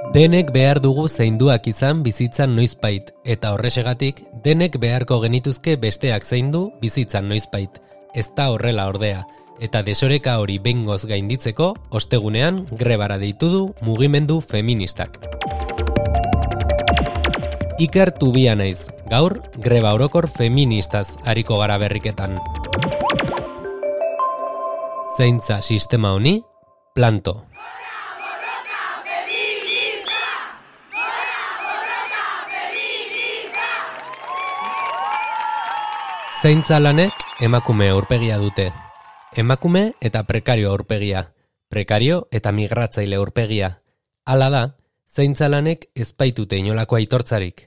Denek behar dugu zainduak izan bizitzan noizbait, eta horrexegatik denek beharko genituzke besteak zaindu bizitzan noizbait. Ez da horrela ordea, eta desoreka hori behingoz gainditzeko, ostegunean grebara deitu du mugimendu feministak. Iker Tubia naiz, gaur greba orokor feministaz ariko gara berriketan. Zaintza sistema honi, planto. Zaintza lanek emakume aurpegia dute. Emakume eta prekario aurpegia. Prekario eta migratzaile aurpegia. Hala da, zaintza lanek ez baitute inolako aitortzarik.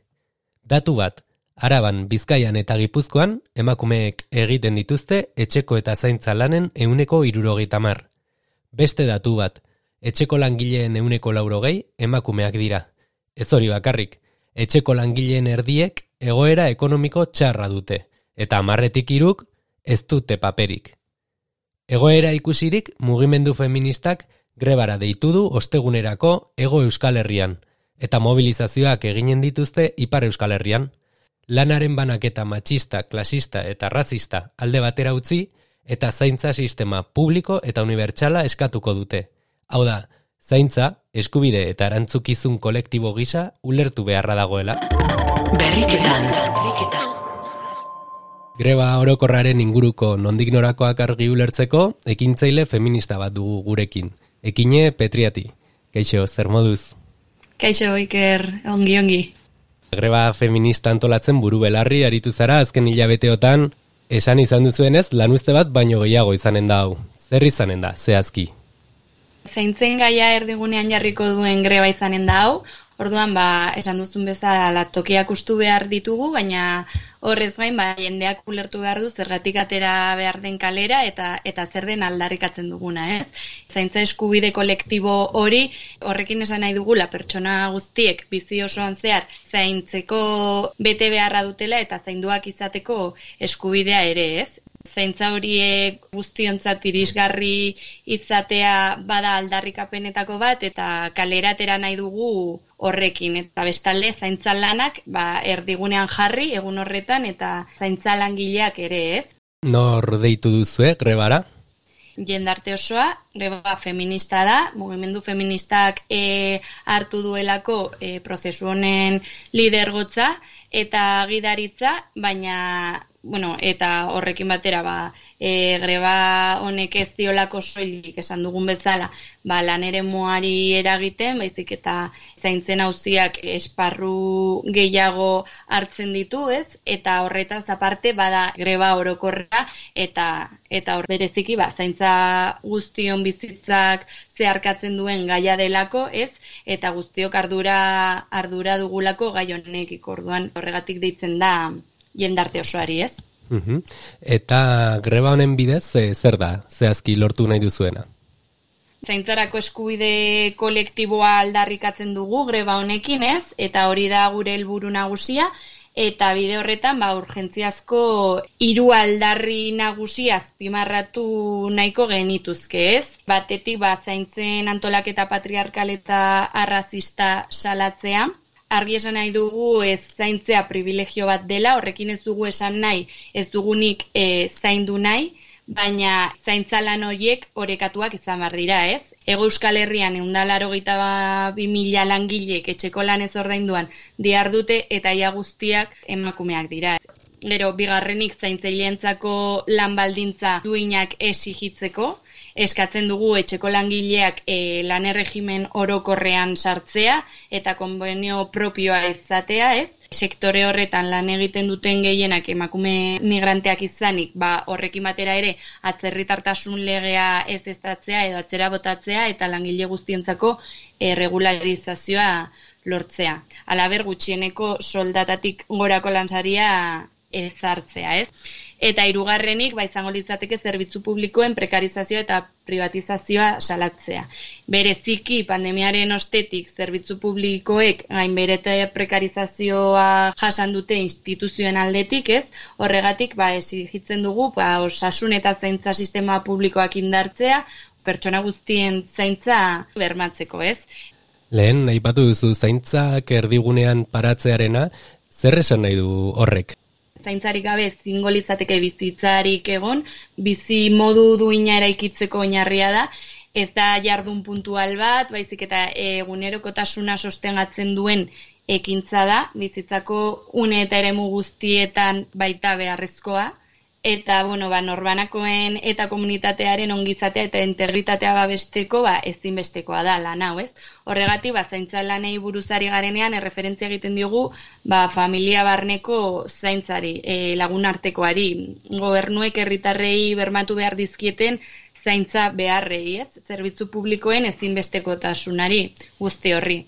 Datu bat, Araban, Bizkaian eta Gipuzkoan emakumeek egiten dituzte etxeko eta zaintza lanen 70%. Beste datu bat, etxeko langileen 40% emakumeak dira. Ez hori bakarrik, etxeko langileen erdiek egoera ekonomiko txarra dute. Eta 10/3 ez dute paperik. Egoera ikusirik mugimendu feministak grebara deitu du ostegunerako Hego Euskal Herrian, eta mobilizazioak eginen dituzte Ipar Euskal Herrian. Lanaren banaketa matxista, klasista eta razista alde batera utzi, eta zaintza sistema publiko eta unibertsala eskatuko dute. Hau da, zaintza, eskubide eta erantzukizun kolektibo gisa ulertu beharra dagoela. Berriketan. Greba orokorraren inguruko nondik norakoak argi ulertzeko, ekintzaile feminista bat dugu gurekin. Ekine Petriati. Kaixo, zer moduz? Kaixo, Iker, ongi. Greba feminista antolatzen buru belarri aritu zara azken hilabeteotan, esan izan duzuenez lanuzte bat baino gehiago izanen da hau. Zer izanen da, zehazki? Zaintzen gaia erdigunean jarriko duen greba izanen da hau. Orduan, esan duzun bezala tokiak ustu behar ditugu, baina horrez gain, jendeak ulertu behar du zergatik atera behar den kalera eta zer den aldarrikatzen duguna, ez? Zaintza eskubide kolektibo hori, horrekin esan nahi dugula pertsona guztiek bizi osoan zehar zaintzeko bete beharra dutela eta zainduak izateko eskubidea ere, ez? Zaintza horiek guztiontzat irisgarri izatea bada aldarrikapenetako bat eta kalera atera nahi dugu horrekin. Eta bestalde zaintza lanak erdigunean jarri egun horretan eta zaintza langileak ere, ez? Nor deitu duzue grebara? Jendarte osoa, greba feminista da, mugimendu feministak hartu duelako prozesu honen lidergotza eta gidaritza, baina eta horrekin batera greba honek ez diolako soilik esan dugun bezala lan eremuari eragiten, baizik eta zaintzen auziak esparru gehiago hartzen ditu, ez? Eta horretaz aparte bada greba orokorra eta hor bereziki zaintza guztion bizitzak zeharkatzen duen gaia delako, ez? Eta guztiok ardura dugulako gai honekiko. Orduan horregatik deitzen da jendarte osoari, ez? Eta greba honen bidez, zer da, zehazki lortu nahi duzuena? Zaintzarako eskubide kolektiboa aldarrikatzen dugu greba honekin, ez? Eta hori da gure helburu nagusia, eta bide horretan urgentziazko 3 aldarri nagusia azpimarratu nahiko genituzke, ez? Batetik zaintzen antolaketa patriarkal eta arrazista salatzea. Argi esan nahi dugu zaintzea privilegio bat dela, horrekin ez dugu esan nahi, ez dugunik zaindu nahi, baina zaintza lan horiek orekatuak izan behar dira, ez? Hego Euskal Herrian 182.000 langilek etxeko lanez ordainduan dihardute eta ia guztiak emakumeak dira. Gero, bigarrenik zaintzaileentzako lan baldintza duinak exigitzeko, eskatzen dugu etxeko langileak lan erregimen orokorrean sartzea eta konbenio propioa izatea, ez? Sektore horretan lan egiten duten gehienak emakume migranteak izanik, horrekin batera ere atzerritartasun legea ez eztatzea edo atzera botatzea eta langile guztientzako regularizazioa lortzea. Halaber, gutxieneko soldatatik gorako lansaria ezartzea, ez? Eta hirugarrenik, izango litzateke zerbitzu publikoen prekarizazioa eta privatizazioa salatzea. Bereziki pandemiaren ostetik zerbitzu publikoek gainberete prekarizazioa jasan dute instituzioen aldetik, ez? Horregatik exigitzen dugu osasun eta zaintza sistema publikoak indartzea, pertsona guztien zaintza bermatzeko, ez? Lehen, aipatu duzu zaintzak erdigunean paratzearena, zer esan nahi du horrek? Zaintzarik gabe zingo litzateke bizitzarik egon, bizi modu duina eraikitzeko oinarria da, ez da jardun puntual bat, baizik eta egunerokotasuna sostengatzen duen ekintza da, bizitzako une eta eremu guztietan baita beharrezkoa, eta norbanakoen eta komunitatearen ongizatea eta integritatea babesteko ezinbestekoa da lan hau, ez? Horregatik, zaintza lanei buruzari garenean erreferentzia egiten diogu familia barneko zaintzari, lagunartekoari, gobernuek herritarrei bermatu behar dizkieten zaintza beharrei, ez? Zerbitzu publikoen ezinbestekotasunari guzti horri.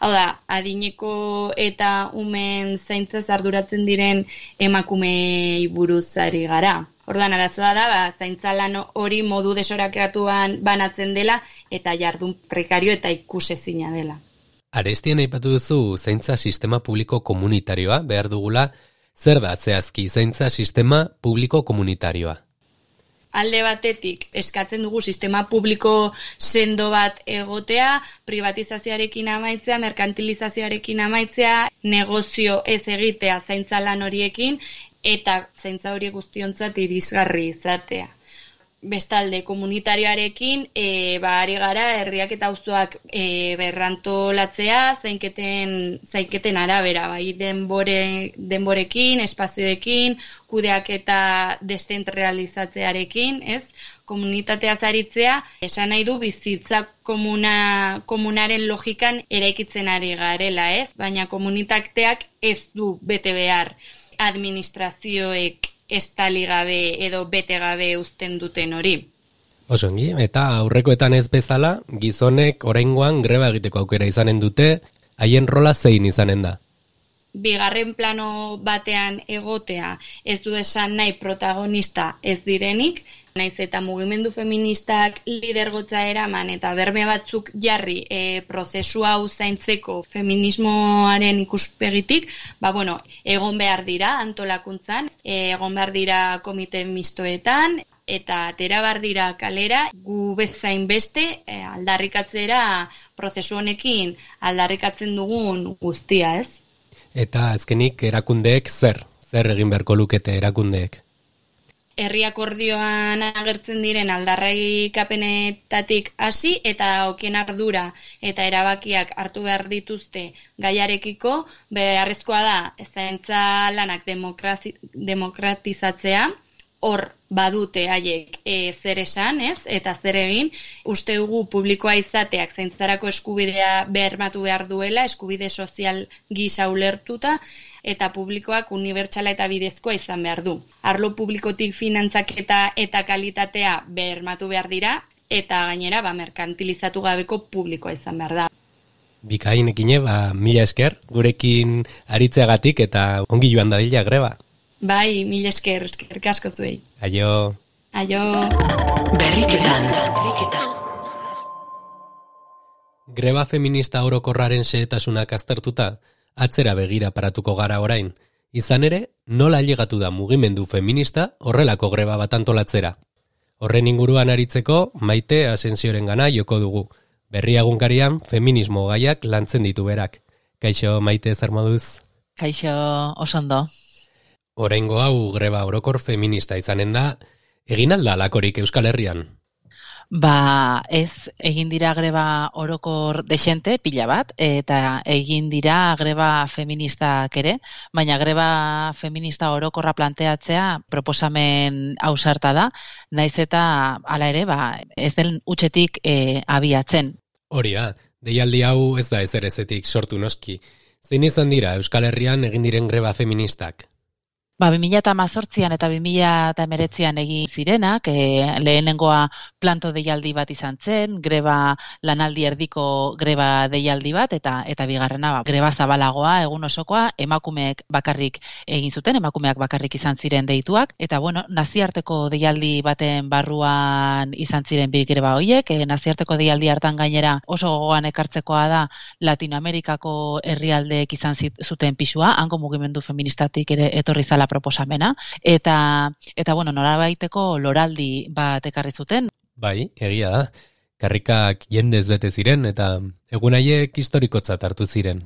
Hau da, adineko eta umen zaintzaz arduratzen diren emakumei buruzari gara. Orduan, arazoa da, zaintza lan hori modu desorakatuan banatzen dela eta jardun prekario eta ikusezina dela. Arestian aipatu duzu zaintza sistema publiko komunitarioa behar dugula, zer da zehazki zaintza sistema publiko komunitarioa? Alde batetik, eskatzen dugu sistema publiko sendo bat egotea, privatizazioarekin amaitzea, merkantilizazioarekin amaitzea, negozio ez egitea zaintza lan horiekin, eta zaintza horiek guztiontzat irisgarri izatea. Bestalde, komunitarioarekin, ari gara, herriak eta auzoak berrantolatzea, zainketen arabera, denborekin, espazioekin, kudeak eta deszentralizatzearekin, ez? Komunitatea zaritzea, esan nahi du bizitza komunaren logikan eraikitzen ari garela, ez? Baina komunitateak ez du bete behar administrazioek estali gabe edo bete gabe uzten duten hori. Osongi, eta aurrekoetan ez bezala, gizonek oraingoan greba egiteko aukera izanen dute, haien rola zein izanen da? Bigarren plano batean egotea ez du esan nahi protagonista ez direnik, naiz eta mugimendu feministak lidergotza eraman eta berme batzuk jarri prozesu hau zaintzeko feminismoaren ikuspegitik, egon behar dira antolakuntzan, egon behar dira komite mistoetan, eta atera behar dira kalera, gu bezain beste aldarrikatzera prozesu honekin aldarrikatzen dugun guztia, ez? Eta azkenik erakundeek zer egin beharko lukete erakundeek? Herri akordioan agertzen diren aldarrikapenetatik hasi eta okien ardura eta erabakiak hartu behar dituzte gaiarekiko, beharrezkoa da zaintza lanak demokratizatzea, hor badute haiek zer esan, ez? Eta zer egin, uste dugu publikoa izateak zaintzarako eskubidea bermatu behar duela, eskubide sozial gisa ulertuta, eta publikoak unibertsala eta bidezkoa izan behar du. Arlo publikotik finantzaketa eta kalitatea bermatu behar dira, eta gainera merkantilizatu gabeko publikoa izan behar da. Bikain ekine, mila esker, gurekin aritzeagatik eta ongi joan dadila greba. Bai, mila esker asko zuei. Aio. Berriketan. Greba feminista orokorraren xehetasunak aztertuta, atzera begira paratuko gara orain. Izan ere, nola ailegatu da mugimendu feminista horrelako greba bat antolatzera. Horren inguruan aritzeko, Maite Asensiorengana joko dugu. Berria egunkarian feminismo gaiak lantzen ditu berak. Kaixo, Maite, zer moduz? Kaixo, oso ondo. Oraingo hau greba orokor feminista izanen da, egin alda alakorik Euskal Herrian? Ez, egin dira greba orokor desente, pila bat, eta egin dira greba feministak ere, baina greba feminista orokorra planteatzea proposamen ausarta da, naiz eta hala ere, ez den utxetik abiatzen. Horia, deialdi hau ez da ezerezetik sortu noski. Zein izan dira Euskal Herrian egin diren greba feministak? 2018an eta 2019an egin zirenak, lehenengoa planto deialdi bat izan zen, greba lanaldi erdiko greba deialdi bat, eta bigarrena greba zabalagoa, egun osokoa, emakumeek bakarrik egin zuten, emakumeak bakarrik izan ziren deituak, eta naziarteko deialdi baten barruan izan ziren bi greba horiek, naziarteko deialdi hartan gainera oso gogoan ekartzekoa da Latinoamerikako herrialdeek izan zuten pisua, hango mugimendu feministatik ere etorri zala proposamena, eta norabaiteko loraldi bat ekarri zuten. Bai, egia da. karrikak jendez bete ziren eta egun haiek historikotzat hartu ziren.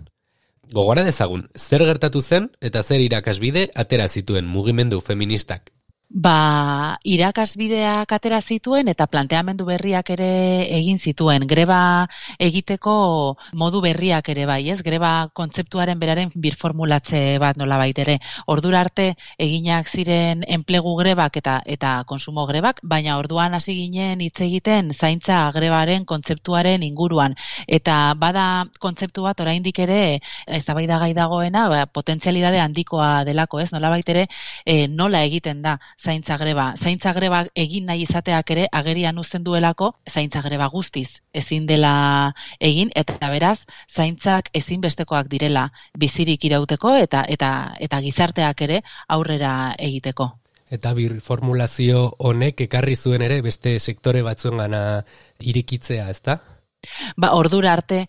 Gogora dezagun, zer gertatu zen eta zer irakasbide atera zituen mugimendu feministak? Irakasbideak atera zituen eta planteamendu berriak ere egin zituen. Greba egiteko modu berriak ere bai, ez? Greba kontzeptuaren beraren birformulatze bat nolabait ere. Ordura arte eginak ziren enplegu grebak eta konsumo grebak, baina orduan hasi ginen hitz egiten zaintza grebaren kontzeptuaren inguruan. Eta bada kontzeptu bat oraindik ere eztabaidagai dagoena, potentzialidade handikoa delako, ez? Nolabait ere nola egiten da zaintza greba. Zaintza greba egin nahi izateak ere agerian uzten duelako zaintza greba guztiz ezin dela egin eta beraz zaintzak ezinbestekoak direla bizirik irauteko eta gizarteak ere aurrera egiteko. Eta birformulazio honek ekarri zuen ere beste sektore batzuengana irikitzea, ezta? Ordura arte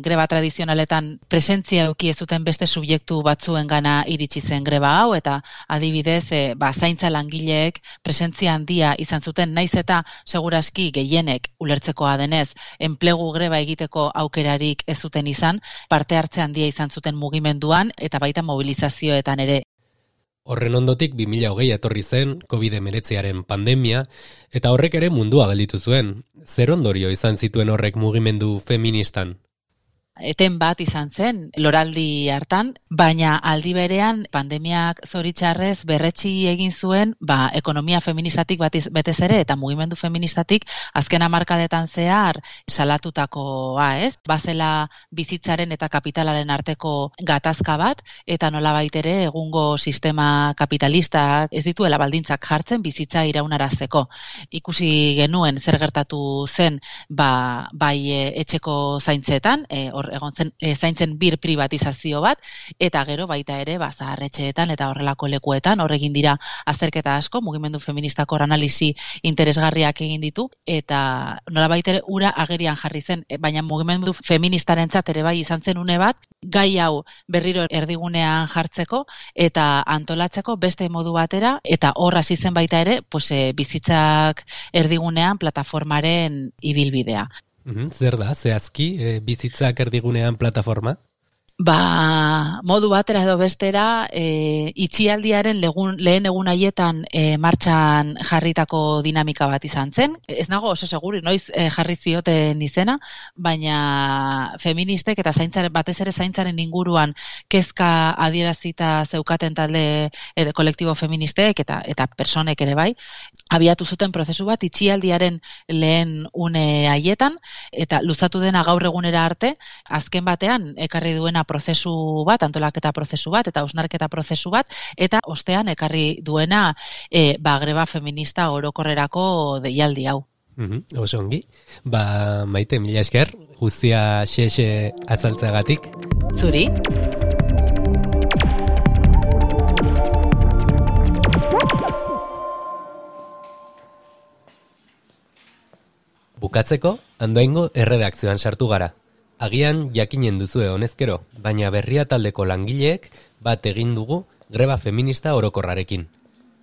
greba tradizionaletan presentzia eduki ez zuten beste subjektu batzuengana iritsi zen greba hau eta adibidez zaintza langileek presentzia handia izan zuten naiz eta seguraski gehienek ulertzekoa denez enplegu greba egiteko aukerarik ez zuten izan, parte hartze handia izan zuten mugimenduan eta baita mobilizazioetan ere. Horren ondotik 2020 etorri zen COVID-19 pandemia eta horrek ere mundua gelditu zuen. Zer ondorio izan zituen horrek mugimendu feministan? Eten bat izan zen loraldi hartan, baina aldi berean pandemiak zoritxarrez berretsi egin zuen ekonomia feministatik betez ere eta mugimendu feministatik azken hamarkadetan zehar salatutakoa, ez? Bazela bizitzaren eta kapitalaren arteko gatazka bat eta nolabait ere egungo sistema kapitalistak ez dituela baldintzak jartzen bizitza iraunarazteko. Ikusi genuen zer gertatu zen bai etxeko zaintzetan, egon zen zaintzen bir privatizazio bat, eta gero baita ere zaharretxeetan eta horrelako lekuetan, horregin dira azterketa asko, mugimendu feministako analisi interesgarriak egin ditu, eta nolabait ere ura agerian jarri zen, baina mugimendu feministarentzat ere bai izan zen une bat, gai hau berriro erdigunean jartzeko eta antolatzeko beste modu batera, eta hor hasi zen baita ere, bizitzak erdigunean plataformaren ibilbidea. Zer da, zehazki, bizitzak erdigunean plataforma? Modu batera edo bestera, itxialdiaren lehen egun haietan martxan jarritako dinamika bat izan zen. Ez nago oso seguri, noiz jarri zioten izena, baina feministek eta batez ere zaintzaren inguruan kezka adierazita zeukaten talde kolektibo feministek eta personek ere bai, abiatu zuten prozesu bat itxialdiaren lehen une haietan, eta luzatu dena gaur egunera arte, azken batean ekarri duena prozesu bat, antolaketa prozesu bat, eta hausnarketa prozesu bat, eta ostean ekarri duena greba feminista orokorrerako deialdi hau. Oso ongi. Maite, mila esker, guztia xe azaltzeagatik. Zuri. Bukatzeko, Andoaingo erredakzioan sartu gara. Agian jakinen duzue honezkero, baina Berria taldeko langileek bat egin dugu greba feminista orokorrarekin.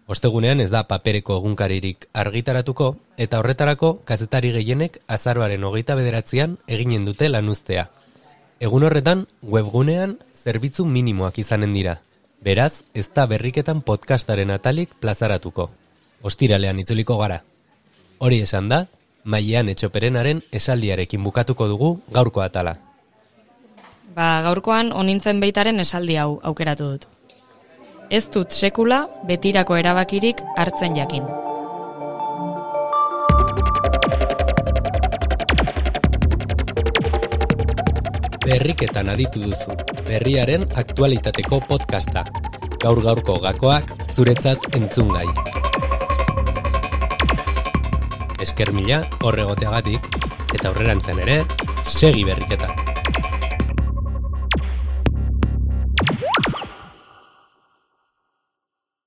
Ostegunean ez da papereko egunkaririk argitaratuko, eta horretarako kazetari gehienek azaroaren 29an eginen dute lanuztea. Egun horretan, webgunean zerbitzu minimoak izanen dira. Beraz, ez da berriketan podcastaren atalik plazaratuko. Ostiralean itzuliko gara. Hori esan da, Maian Etxoperenaren esaldiarekin bukatuko dugu gaurko atala. Gaurkoan onintzen beitaren esaldi hau aukeratu dut. Ez dut sekula betirako erabakirik hartzen jakin. Berriketan aditu duzu, berriaren aktualitateko podcasta. Gaur-gaurko gakoak zuretzat entzungai. Esker mila horregoteagatik, eta aurrerantzen ere, segi berriketak.